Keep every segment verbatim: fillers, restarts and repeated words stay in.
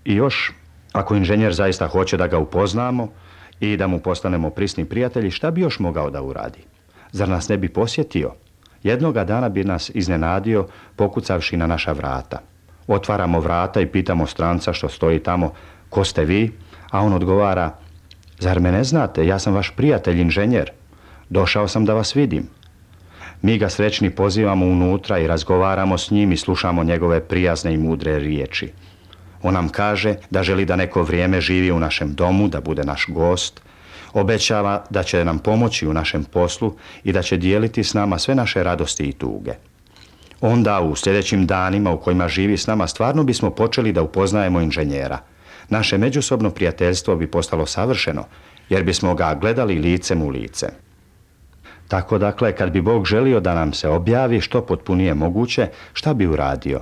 I još, ako inženjer zaista hoće da ga upoznamo i da mu postanemo prisni prijatelji, šta bi još mogao da uradi? Zar nas ne bi posjetio? Jednoga dana bi nas iznenadio pokucavši na naša vrata. Otvaramo vrata i pitamo stranca što stoji tamo, ko ste vi? A on odgovara, zar me ne znate, ja sam vaš prijatelj inženjer. Došao sam da vas vidim. Mi ga srećni pozivamo unutra i razgovaramo s njim i slušamo njegove prijazne i mudre riječi. On nam kaže da želi da neko vrijeme živi u našem domu, da bude naš gost. Obećava da će nam pomoći u našem poslu i da će dijeliti s nama sve naše radosti i tuge. Onda u sljedećim danima u kojima živi s nama stvarno bismo počeli da upoznajemo inženjera. Naše međusobno prijateljstvo bi postalo savršeno, jer bismo ga gledali licem u lice. Tako dakle, kad bi Bog želio da nam se objavi što potpunije moguće, šta bi uradio?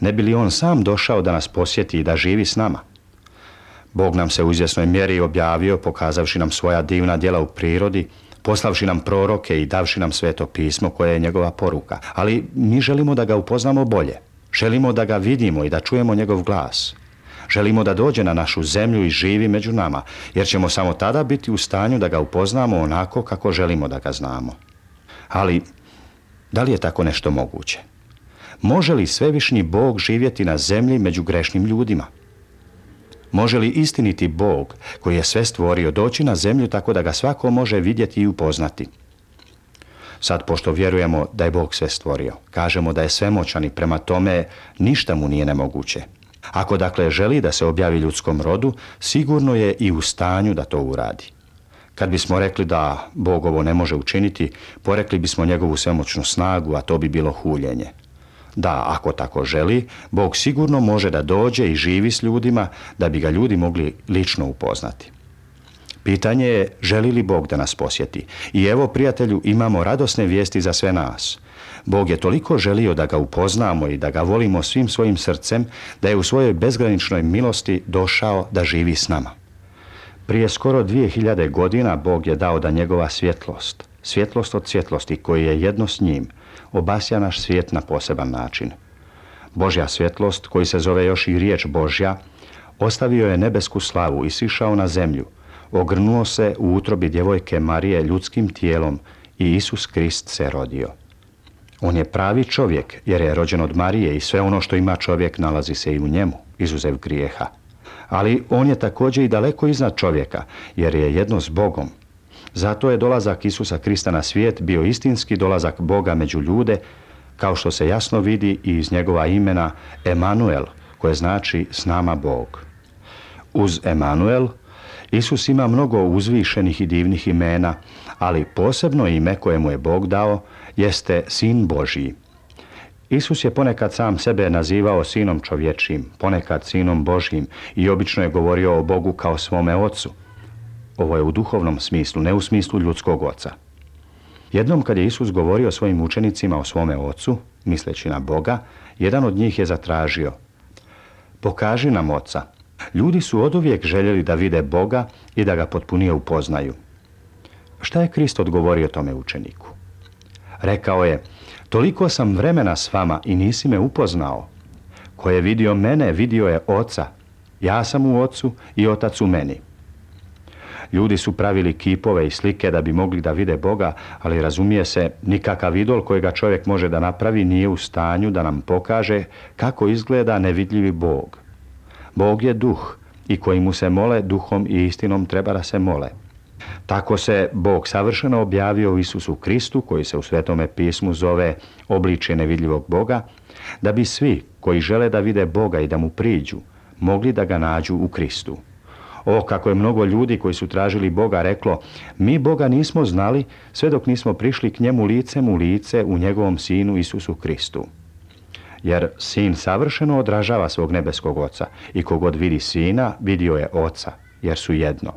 Ne bi li on sam došao da nas posjeti i da živi s nama? Bog nam se u izvjesnoj mjeri objavio, pokazavši nam svoja divna djela u prirodi, poslavši nam proroke i davši nam sveto pismo koje je njegova poruka. Ali mi želimo da ga upoznamo bolje. Želimo da ga vidimo i da čujemo njegov glas. Želimo da dođe na našu zemlju i živi među nama, jer ćemo samo tada biti u stanju da ga upoznamo onako kako želimo da ga znamo. Ali, da li je tako nešto moguće? Može li svevišnji Bog živjeti na zemlji među grešnim ljudima? Može li istiniti Bog, koji je sve stvorio, doći na zemlju tako da ga svako može vidjeti i upoznati? Sad, pošto vjerujemo da je Bog sve stvorio, kažemo da je svemoćan i prema tome ništa mu nije nemoguće. Ako dakle želi da se objavi ljudskom rodu, sigurno je i u stanju da to uradi. Kad bismo rekli da Bog ovo ne može učiniti, porekli bismo njegovu svemoćnu snagu, a to bi bilo huljenje. Da, ako tako želi, Bog sigurno može da dođe i živi s ljudima, da bi ga ljudi mogli lično upoznati. Pitanje je, želi li Bog da nas posjeti? I evo, prijatelju, imamo radosne vijesti za sve nas. Bog je toliko želio da ga upoznamo i da ga volimo svim svojim srcem, da je u svojoj bezgraničnoj milosti došao da živi s nama. Prije skoro dvije hiljade godina Bog je dao da njegova svjetlost, svjetlost od svjetlosti koji je jedno s njim, obasja naš svijet na poseban način. Božja svjetlost, koji se zove još i riječ Božja, ostavio je nebesku slavu i sišao na zemlju, ogrnuo se u utrobi djevojke Marije ljudskim tijelom i Isus Krist se rodio. On je pravi čovjek, jer je rođen od Marije i sve ono što ima čovjek nalazi se i u njemu, izuzev grijeha. Ali on je također i daleko iznad čovjeka, jer je jedno s Bogom. Zato je dolazak Isusa Krista na svijet bio istinski dolazak Boga među ljude, kao što se jasno vidi i iz njegova imena Emanuel, koje znači s nama Bog. Uz Emanuel, Isus ima mnogo uzvišenih i divnih imena, ali posebno ime koje mu je Bog dao jeste Sin Božji. Isus je ponekad sam sebe nazivao sinom čovječijim, ponekad sinom Božjim i obično je govorio o Bogu kao svome ocu. Ovo je u duhovnom smislu, ne u smislu ljudskog oca. Jednom kad je Isus govorio svojim učenicima o svome ocu, misleći na Boga, jedan od njih je zatražio: pokaži nam oca. Ljudi su oduvijek željeli da vide Boga i da ga potpunije upoznaju. Šta je Krist odgovorio tome učeniku? Rekao je: toliko sam vremena s vama i nisi me upoznao. Ko je vidio mene, vidio je oca. Ja sam u ocu i otac u meni. Ljudi su pravili kipove i slike da bi mogli da vide Boga, ali razumije se, nikakav idol kojega čovjek može da napravi nije u stanju da nam pokaže kako izgleda nevidljivi Bog. Bog je duh i koji mu se mole, duhom i istinom treba da se mole. Tako se Bog savršeno objavio u Isusu Kristu, koji se u Svetome pismu zove obličje nevidljivog Boga, da bi svi koji žele da vide Boga i da mu priđu, mogli da ga nađu u Kristu. O, kako je mnogo ljudi koji su tražili Boga reklo: mi Boga nismo znali sve dok nismo prišli k njemu licem u lice u njegovom Sinu Isusu Kristu. Jer Sin savršeno odražava svog nebeskog Oca i kogod vidi Sina, vidio je Oca, jer su jedno.